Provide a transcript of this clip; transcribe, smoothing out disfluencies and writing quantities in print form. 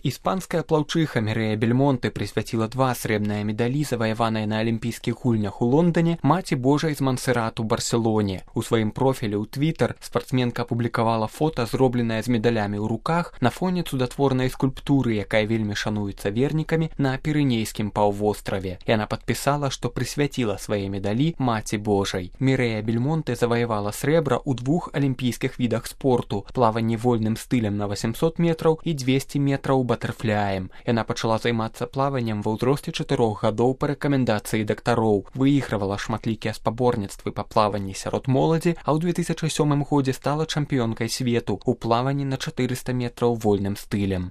Іспанская плаўчыха Мірэя Бельмонте прысвяціла 2 срэбныя медалі, заваяваныя на алімпійскіх гульнях у Лондоне, маці Божай з Монсеррат у Барселоне. У сваім профілі ў Твіттер спартсменка апублікавала фота, зробленае з медалямі ў руках на фоне цудатворнай скульптуры, якая вельмі шануецца вернікамі на Пірэнейскім паўвостраве. Яна падпісала, што прысвяціла свае медалі маці Божай. Мірэя Бельмонте заваявала срэбра ў 2 алімпійскіх відах спорту: плаванні вольным стылем на 800 метраў і 200 метраў батэрфляем. Яна пачала займацца плаваннем ва ўзросце 4 гадоў па рэкамендацыі дактароў, выігрывала шматлікія спаборніцтвы па плаванні сярод моладзі, а ў 2007 годзе стала чэмпіёнкай свету ў плаванні на 400 метраў вольным стылем.